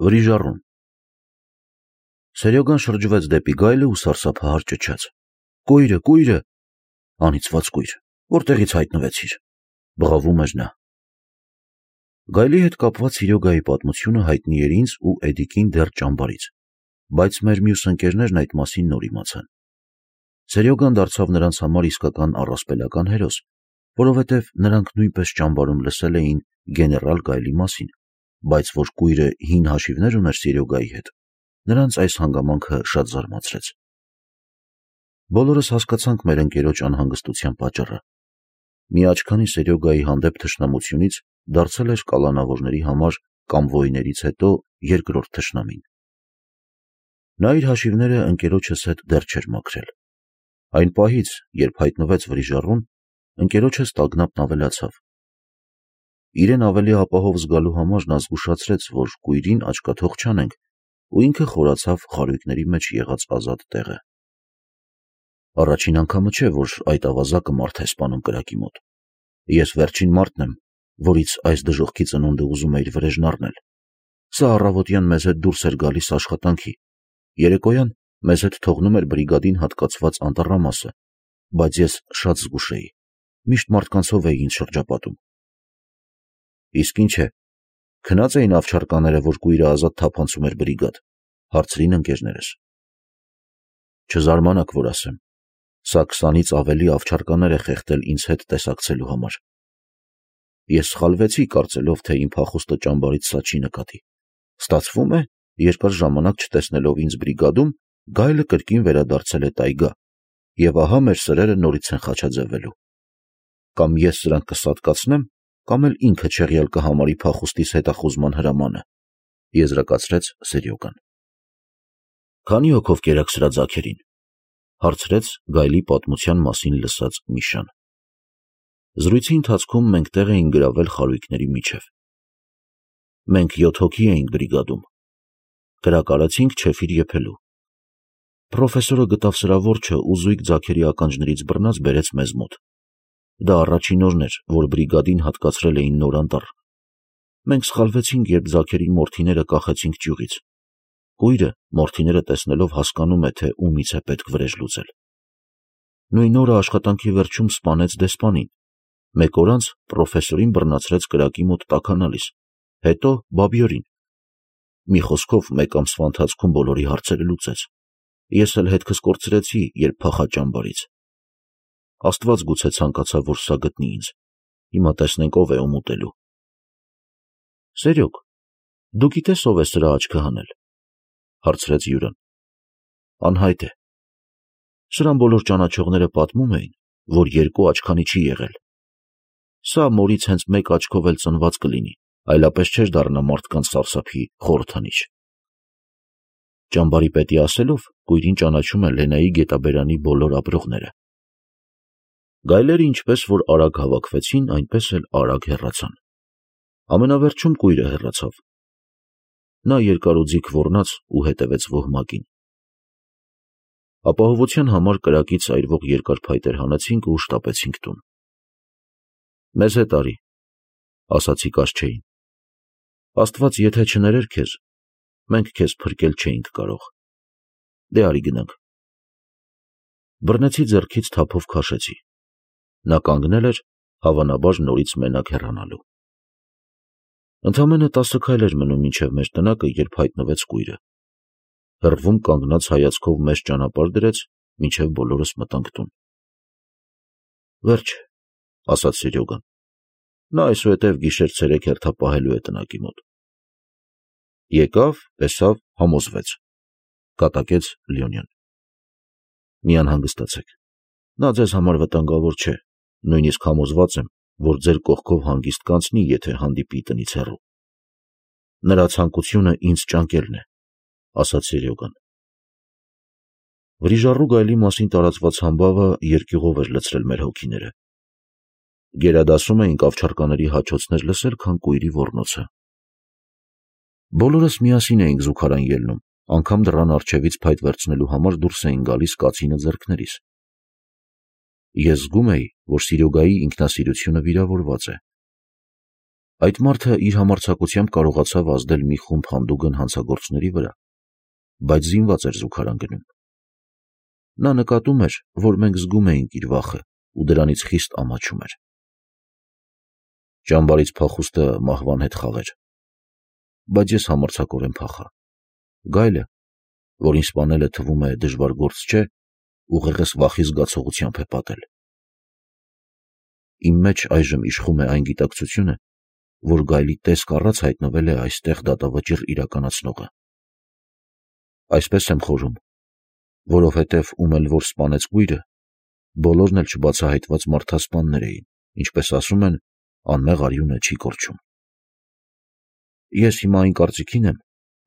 Վրիժառուն։ Սերյոգան շրջվեց դեպի գայլը ու սարսափահար ճչաց. Կույրը, անիծված կույր, որտեղից հայտնվեցիր, բղավում էր նա։ Գայլի հետ կապված Սիրյոգայի պատմությունը հայտնի էր ինձ ու Էդիկին դեռ ճամբարից, բայց մեր մյուս ընկերներն այդ մասին նոր իմացան։ Սերյոգան դարձավ նրանց համար իսկական առասպելական հերոս, որովհետև նրանք նույնպես ճամբարում լսել էին գեներալ Գայլի մասին, բայց որ կույրը հին հաշիվներ ուներ Սիրյոգայի հետ, նրանց այս հանգամանքը շատ զարմացրեց։ Բոլորս հասկացանք մեր ընկերոջ անհանգստության պատճառը։ Մի աչքանի Սերյոգայի հանդեպ թշնամությունից դարձել էր կալանավորների համար կամվոյներից հետո երկրորդ թշնամին։ Նա իր հաշիվները ընկերոջս հետ դեռ չէր մաքրել։ Այն պահից, երբ հայտնվեց Վրիժառուն, ընկերոջս տագնապն ավելացավ։ Իրեն ավելի ապահով զգալու համար նա զգուշացրեց, որ կույրին աչքաթող չանենք, ու ինքը խորացավ խարույկների մեջ եղած ազատ տեղը։ Առաջին անգամը չէ, որ այդ ավազակը մարդ է սպանում կրակի մոտ։ Ես վերջին մարդն եմ, որից այս դժոխքի ծնունդը ուզում է իր վրեժն առնել։ Սա առավոտյան մեզ հետ դուրս էր գալիս աշխատանքի, երեկոյան մեզ հետ թողնում էր բրիգադին հատկացված անտառամասը, բայց ես շատ զգուշ էի, միշտ մարդկանցով էի ինձ շրջապատում։ Իսկ ինչ է, քնած էին ավչարկաները, որ կույրը ազատ թափանցում էր բրիգադ, հարցրին ընկերներս։ Չզարմանաք, որ ասեմ, սա 20-ից ավելի ավչարկաներ է խեղդել ինձ հետ տեսակցելու համար։ Ես սխալվեցի, կարծելով, թե իմ փախուստը ճամբարից սա չի նկատի։ Ստացվում է, երկար ժամանակ չտեսնելով ինձ բրիգադում, գայլը կրկին վերադարձել է տայգա, եւ ահա մեր սրերը նորից են խաչաձևելու։ Կամ ես սրանք կսատկացնեմ, կամ էլ ինքը չեղյալ կհամարի փախուստիս հետախուզման հրամանը, եզրակացրեց Սերյոգան։ Քանի հոգով կերաք սրա ձագերին, հարցրեց գայլի պատմության մասին լսած Միշան։ Զրույցի ընթացքում մենք տեղ էին գրավել խարույկների միջև։ Մենք 7 հոգի էինք բրիգադում։ Կրակ արեցինք չեֆիր եփելու։ Պրոֆեսորը գտավ սրա որջը ու զույգ ձագերի ականջներից բռնած բերեց մեզ մոտ։ Դա առաջին օրն էր, որ բրիգադին հատկացրել էին նոր անտառ։ Մենք սխալվեցինք, երբ ձագերի մորթիները կախեցինք ճյուղից։ Կույրը մորթիները տեսնելով հասկանում է, թե ումից է պետք վրեժ լուծել։ Նույն օրը աշխատանքի վերջում սպանեց դեսպանին։ Մեկ օր անց պրոֆեսորին բռնացրեց կրակի մոտ տաքանալիս, հետո Բաբյորին։ Մի խոսքով, մեկ ամսվա ընթացքում բոլորի հարցերը լուծեց։ Ես էլ հետքս կորցրեցի, երբ փախա ճամբարից։ Աստված գուցե ցանկացավ, որ սա գտնի ինձ։ Հիմա տեսնենք ով է ում ուտելու։ Սերյոգ, դու գիտես ով է սրա աչքը հանել, հարցրեց Յուրան։ Անհայտ է։ Սրան բոլոր ճանաչողները պատմում էին, որ 2 աչքանի չի եղել։ Սա մորից հենց 1 աչքով էլ ծնված կլինի, այլապես չէր դառնա մարդկանց սարսափի խորհրդանիշ։ Ճամբարի պետի ասելով, կույրին ճանաչում է Լենայի գետաբերանի բոլոր ապրողները։ Գայլերը ինչպես որ արագ հավաքվեցին, այնպես էլ արագ հեռացան։ Ամենավերջում կույրը հեռացավ։ Նա երկարուձիգ ոռնաց ու հետևեց ոհմակին։ Ապահովության համար կրակից այրվող երկար փայտեր հանեցինք ու շտապեցինք տուն։ Մեզ հետ արի, ասացի Կաշչեին։ Աստված եթե չներեր քեզ, մենք քեզ փրկել չէինք կարող։ Դե արի գնանք։ Բռնեցի ձեռքից թափով քաշեցի։ Նա կանգնել էր, հավանաբար նորից մենակ հեռանալու։ Ընդամենը 10 քայլ էր մնում մինչև մեր տնակը, երբ հայտնվեց կույրը։ Հեռվում կանգնած հայացքով մեզ ճանապարհ դրեց, մինչև բոլորս մտանք տուն։ Վերջ, ասաց Սերյոգան։ Նա այսուհետև գիշեր-ցերեկ հերթապահելու է տնակի մոտ։ Եկավ, տեսավ, համոզվեց, կատակեց Լյոնյան։ Մի անհանգստացեք։ Նա ձեզ համար վտանգավոր չէ, նույնիսկ համոզված եմ, որ ձեր կողքով հանգիստ կանցնի, եթե հանդիպի տնից հեռու։ Նրա ցանկությունը ինձ ճանկելն է, ասաց Սերյոգան։ Վրիժառու գայլի մասին տարածված համբավը երկյուղով էր լցրել մեր հոգիները։ Գերադասում էինք ավչարկաների հաչոցներ լսել, քան կույրի ոռնոցը։ Բոլորս միասին էինք զուգարան ելնում, անգամ դռան առջևից փայտ վերցնելու համար դուրս էին գալիս կացինը ձեռքներիս։ Ես զգում էի, որ Սիրյոգայի ինքնասիրությունը վիրավորված է։ Այդ մարդը իր համարձակությամբ կարողացավ ազդել մի խումբ հանդուգն հանցագործների վրա, բայց զինված էր զուգարան գնում։ Նա նկատում էր, որ մենք զգում էինք իր վախը ու դրանից խիստ ամաչում էր։ Ճամբարից փախուստը մահվան հետ խաղ էր, բայց ես համարձակորեն փախա։ Գայլը, որին սպանելը թվում է դժվար գործ չէ, ուղեղս վախի զգացողությամբ է պատել։ Իմ մեջ այժմ իշխում է այն գիտակցությունը, որ գայլի տեսք առած հայտնվել է այստեղ դատավճիռ իրականացնողը։ Այսպես եմ խորում, որովհետև ում էլ որ սպանեց կույրը, բոլորն էլ չբացահայտված մարդասպաններ էին, ինչպես ասում են, անմեղ արյունը չի կորչում։ Ես հիմա այն կարծիքին եմ,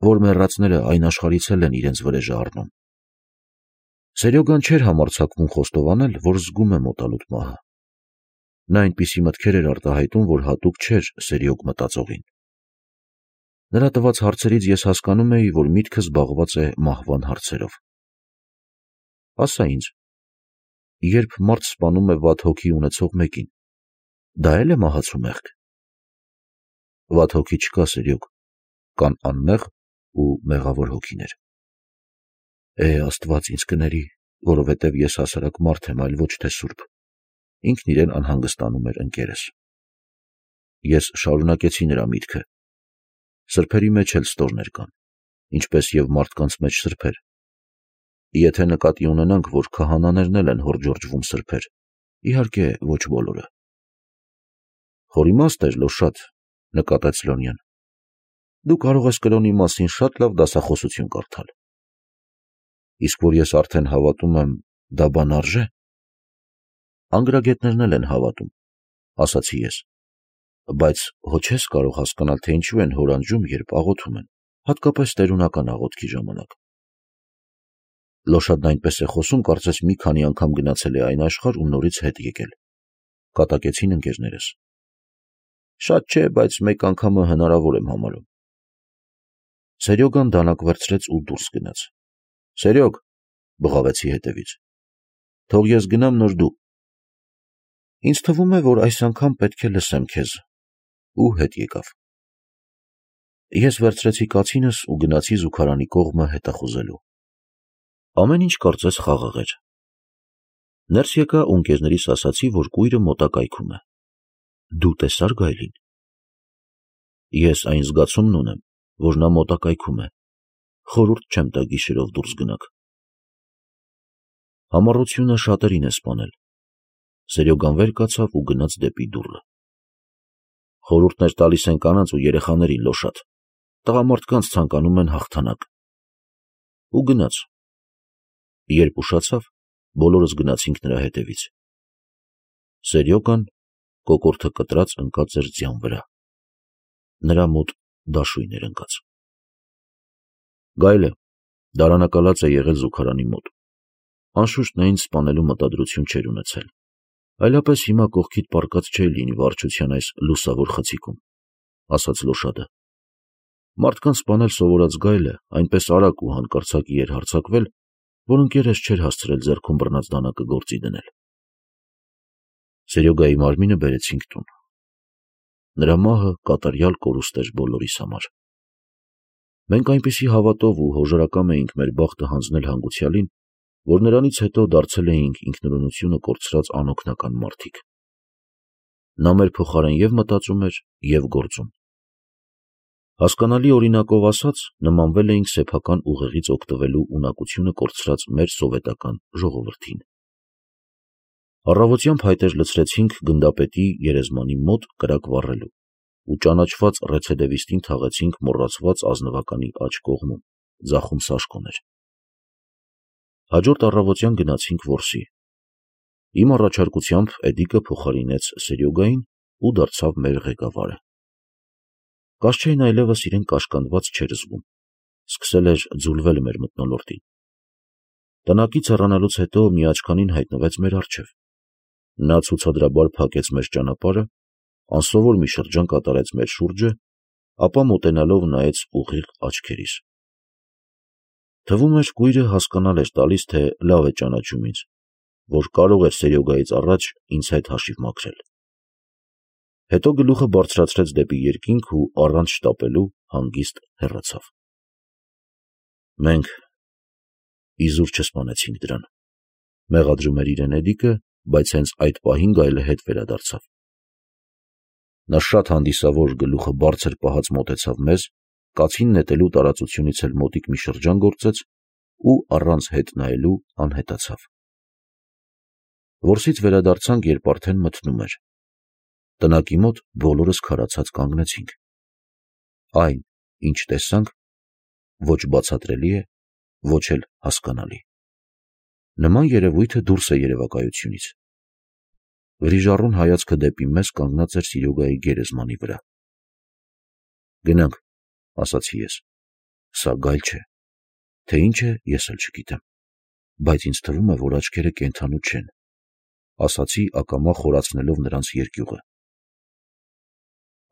որ մեռածները այն աշխարհից էլ են իրենց վրեժը առնում։ Սերյոգան չէր համարձակվում խոստովանել, որ զգում է մոտալուտ մահը։ Նա այնպիսի մտքեր էր արտահայտում, որ հատուկ չէր սերյոգ մտածողին։ Նրա տված հարցերից ես հասկանում էի, որ միտքը զբաղված է մահվան հարցերով։ Ասա ինձ, երբ մարդ սպանում է վատ հոգի ունեցող մեկին, դա էլ է մահացու մեղք։ Վատ հոգի չկա, սերյոգ, կան անմեղ ու մեղավոր հոգիներ։ Աստված ինձ կների, որովհետև ես հասարակ մարդ եմ, այլ ոչ թե սուրբ։ Ինքն իրեն անհանգստանում էր ընկերս։ Ես շարունակեցի նրա միտքը։ Սրբերի մեջ էլ ստորներ կան, ինչպես և մարդկանց մեջ սրբեր։ Եթե նկատի ունենանք, որ քահանաներն էլ են հորջորջվում սրբեր, իհարկե ոչ բոլորը։ Խորիմաստ էր, Լոշատ, նկատեց Լոնյան։ Դու կարող ես կրոնի մասին շատ լավ դասախոսություն կարդալ։ Իսկ որ ես արդեն հավատում եմ, դա բան արժե։ Անգրագետներն էլ են հավատում, ասացի ես, բայց հո չես կարող հասկանալ, թե ինչու են հորանջում, երբ աղոթում են, հատկապես տերունական աղոթքի ժամանակ։ Լոշատն այնպես է խոսում, կարծես մի քանի անգամ գնացել է այն աշխարհ ու նորից հետ եկել, կատակեցին ընկերներս։ Շատ չէ, բայց մեկ անգամը հնարավոր եմ համարում։ Սերյոգան դանակ վերցրեց ու դուրս գնաց։ Սերյոգ, բղավեցի հետևից, թող ես գնամ, նոր դու։ Ինձ թվում է, որ այս անգամ պետք է լսեմ քեզ, ու հետ եկավ։ Ես վերցրեցի կացինս ու գնացի զուգարանի կողմը հետախուզելու։ Ամեն ինչ կարծես խաղաղ էր։ Ներս եկա ու ընկերներիս ասացի, որ կույրը մոտակայքում է։ Դու տեսա՞ր գայլին։ Ես այն զգացումն ունեմ, որ նա մոտակայքում է։ Խորհուրդ չեմ տա գիշերով դուրս գնաք։ Համառությունը շատերին է սպանել։ Սերյոգան վեր կացավ ու գնաց դեպի դուռը։ Խորհուրդներ տալիս են կանանց ու երեխաներին, Լոշատ։ Տղամարդկանց ցանկանում են հաղթանակ։ Ու գնաց։ Երբ ուշացավ, բոլորս գնացինք նրա հետևից։ Սերյոգան կոկորդը կտրած ընկած էր ձյան վրա։ Նրա մոտ դաշույն էր ընկած։ Գայլը դարանակալած է եղել զուգարանի մոտ։ Անշուշտ նա ինձ սպանելու մտադրություն չէր ունեցել։ Այլապես հիմա կողքիդ պառկած չէի լինի վարչության այս լուսավոր խցիկում, ասաց Լոշատը։ Մարդկանց սպանել սովորած գայլը այնպես արագ ու հանկարծակի էր հարձակվել, որ ընկերս չէր հասցրել ձեռքում բռնած դանակը գործի դնել։ Սերյոգայի մարմինը բերեցինք տուն։ Նրա մահը կատարյալ կորուստ էր բոլորիս համար։ Մենք այնպիսի հավատով ու հոժարակամ էինք մեր բախտը հանձնել հանգուցյալին, որ նրանից հետո դարձել էինք ինքնուրույնությունը կորցրած անօգնական մարդիկ։ Նա մեր փոխարեն և մտածում էր, և գործում։ Հասկանալի օրինակով ասած, նմանվել էինք սեփական ուղեղից օգտվելու ունակությունը կորցրած մեր սովետական ժողովրդին։ Առավոտյան փայտեր լցրեցինք գնդապետի գերեզմանի մոտ կրակ վառելու ու ճանաչված ռեցեդևիստին թաղեցինք մոռացված ազնվականի աջ կողմում, ձախում Սաշկոն էր։ Հաջորդ առավոտյան գնացինք որսի։ Իմ առաջարկությամբ Էդիկը փոխարինեց Սերյոգային ու դարձավ մեր ղեկավարը։ Կաշչեին այլևս իրեն կաշկանդված չէր զգում, սկսել էր ձուլվել մեր մթնոլորտին։ Տնակից հեռանալուց հետո մի աչքանին հայտնվեց մեր առջև։ Նա ցուցադրաբար փակեց մեր ճանապարհը, անսովոր մի շրջան կատարեց մեր շուրջը, ապա մոտենալով նայեց ուղիղ աչքերիս։ Թվում էր կույրը հասկանալ էր տալիս, թե լավ է ճանաչում ինձ, որ կարող էր Սերյոգայից առաջ ինձ հետ հաշիվ մաքրել։ Հետո գլուխը բարձրացրեց դեպի երկինք ու առանց շտապելու հանգիստ հեռացավ։ Մենք իզուր չսպանեցինք դրան, մեղադրում էր իրեն Էդիկը, բայց հենց այդ պահին գայլը հետ վերադարձավ։ Նա շատ հանդիսավոր գլուխը բարձր պահած մոտեցավ մեզ, կացին նետելու տարածությունից էլ մոտիկ մի շրջան գործեց ու առանց հետ նայելու անհետացավ։ Որսից վերադարձանք, երբ արդեն մթնում էր։ Տնակի մոտ բոլորս քարացած կանգնեցինք։ Այն, ինչ տեսանք, ոչ բացատրելի է, ոչ էլ հասկանալի։ Նման երևույթը դուրս է երևակայությունից։ Վրիժառուն հայացքը դեպի մեզ կանգնած էր Սիրյոգայի գերեզմանի վրա։ Գնանք, ասացի ես, սա գայլ չէ, թե ինչ է, ես էլ չգիտեմ, բայց ինձ թվում է, որ աչքերը կենդանու չեն, ասացի ակամա խորացնելով նրանց երկյուղը։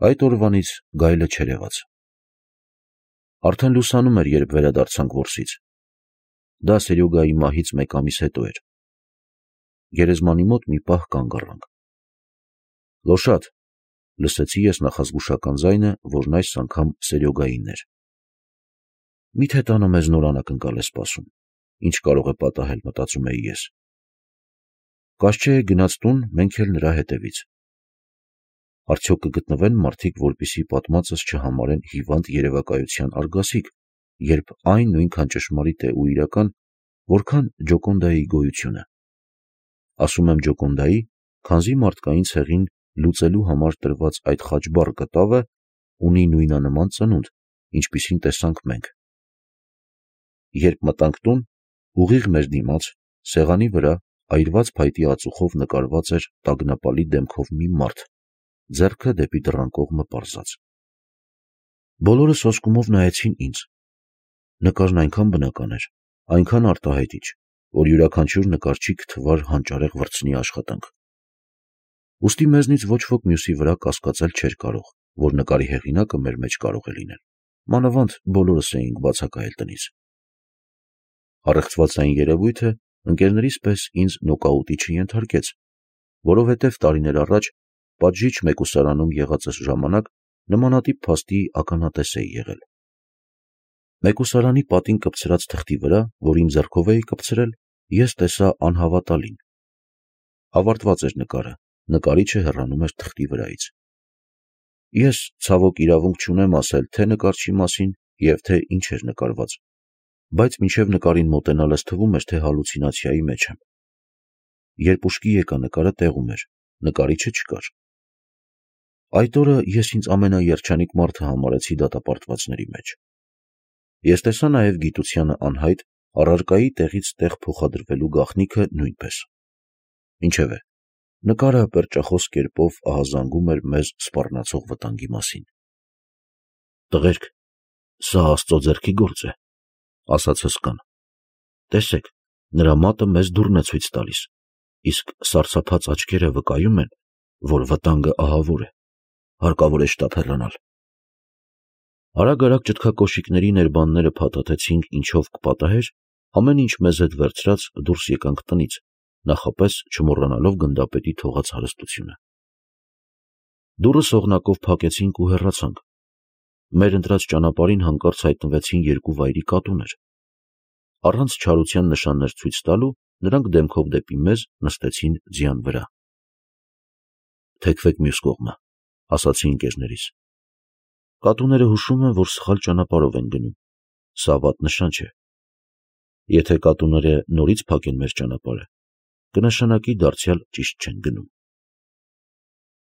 Այդ օրվանից գայլը չերևաց։ Արդեն լուսանում էր, երբ վերադարձանք որսից։ Դա Սերյոգայի մահից մեկ ամիս հետո էր։ Գերեզմանի մոտ մի պահ կանգ առանք։ Լոշատ, լսեցի ես նախազգուշական ձայնը, որն այս անգամ Սերյոգայինն էր։ Միթե տանը մեզ նոր անակնկալ է սպասում, ինչ կարող է պատահել, մտածում էի ես։ Կաշչե գնաց տուն, մենք էլ նրա հետևից։ Արդյոք կգտնվեն մարդիկ, որպեսզի պատմածս չհամարեն հիվանդ երևակայության արգասիկ, երբ այն նույնքան ճշմարիտ է ու իրական, որքան Ջոկոնդայի գոյությունը։ Ասում եմ Ջոկոնդայի, քանզի մարդկային ցեղին լուծելու համար տրված այդ խաչբառ կտավը ունի նույնանման ծնունդ, ինչպիսին տեսանք մենք։ Երբ մտանք տուն, ուղիղ մեր դիմաց, սեղանի վրա, այրված փայտի ածուխով նկարված էր տագնապալի դեմքով մի մարդ, ձեռքը դեպի դռան կողմը պարզած։ Բոլորը սոսկումով նայեցին ինձ։ Նկարն այնքան բնական էր, այնքան արտահայտիչ, որ յուրաքանչյուր նկարչի կթվար հանճարեղ վրձնի աշխատանք։ Ուստի մեզնից ոչ ոք մյուսի վրա կասկածել չէր կարող, որ նկարի հեղինակը մեր մեջ կարող է լինել, մանավանդ բոլորս էինք բացակայել տնից։ Առեղծված այն երևույթը ընկերներիս պես ինձ նոկաուտի չենթարկեց, որովհետև տարիներ առաջ պատժիչ մեկուսարանում եղածս ժամանակ նմանատիպ փաստի ականատես էի եղել։ Մեկուսարանի պատին կպցրած թղթի վրա, որ իմ ձեռքով էի կպցրել, ես տեսա անհավատալին։ Ավարտված էր նկարը, նկարիչը հեռանում էր թղթի վրայից։ Ես ցավոք իրավունք չունեմ ասել թե նկարչի մասին և թե ինչ էր նկարված, բայց մինչև նկարին մոտենալս թվում էր, թե հալուցինացիայի մեջ եմ։ Երբ ուշքի եկա, նկարը տեղում էր, նկարիչը չկար։ Այդ օրը ես ինձ ամենաերջանիկ մարդը համարեցի դատապարտվածների մեջ։ Ես տեսա նաև գիտությանը անհայտ առարկայի տեղից տեղ փոխադրվելու գաղտնիքը նույնպես։ Ինչևէ, նկարը պերճախոս կերպով ահազանգում էր մեզ սպառնացող վտանգի մասին։ Տղերք, սա Աստծո ձեռքի գործ է, ասաց հսկան։ Տեսեք, նրա մատը մեզ դուռն է ցույց տալիս, իսկ սարսափած աչքերը վկայում են, որ վտանգը ահավոր է, հարկավոր է շտապ հեռանալ։ Արագ-արագ ճտկակոշիկների ներբանները փաթաթեցինք ինչով կպատահեր, ամեն ինչ մեզ հետ վերցրած դուրս եկանք տնից, նախապես չմոռանալով գնդապետի թողած հարստությունը։ Դուռը սողնակով փակեցինք ու հեռացանք։ Մեր ընտրած ճանապարհին հանկարծ հայտնվեցին երկու վայրի կատուներ։ Առանց չարության նշաններ ցույց տալու, նրանք դեմքով դեպի մեզ նստեցին ձյան վրա։ Թեքվեք մյուս կողմը, ասացի ընկերներիս։ Կատուները հուշում են, որ սխալ ճանապարհով են գնում։ Սա վատ նշան չէ։ Եթե կատուները նորից փակեն մեր ճանապարհը, կնշանակի դարձյալ ճիշտ չեն գնում։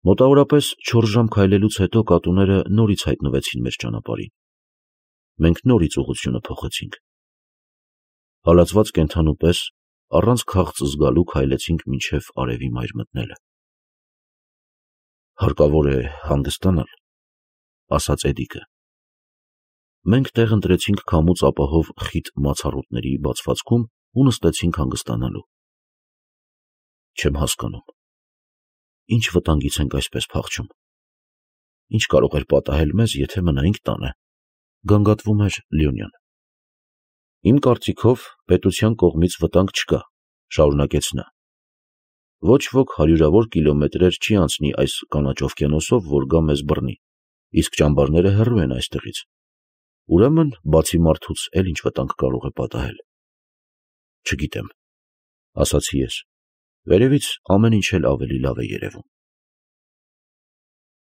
Մոտավորապես 4 ժամ քայլելուց հետո կատուները նորից հայտնվեցին մեր ճանապարհին։ Մենք նորից ուղղությունը փոխեցինք։ Հալածված կենդանու պես առանց քաղց զգալու քայլեցինք մինչև արևի մայր մտնելը։ Հարկավոր է հանգստանալ, ասաց Էդիկը։ Մենք տեղ ընտրեցինք քամուց ապահով խիտ մացառուտների բացվածքում ու նստեցինք հանգստանալու։ Չեմ հասկանում, ինչ վտանգից ենք այսպես փախչում։ Ինչ կարող էր պատահել մեզ, եթե մնայինք տանը, գանգատվում էր Լյոնյան։ Իմ կարծիքով պետության կողմից վտանգ չկա, շարունակեց նա։ Ոչ ոք հարյուրավոր կիլոմետրեր չի անցնի այս կանաչ օվկիանոսով, որ գա մեզ բռնի, իսկ ճամբարները հեռու են այստեղից։ Ուրեմն, բացի մարդուց, էլ ինչ վտանգ կարող է պատահել։ Չգիտեմ, ասացի ես։ Վերևից ամեն ինչ էլ ավելի լավ է երևում։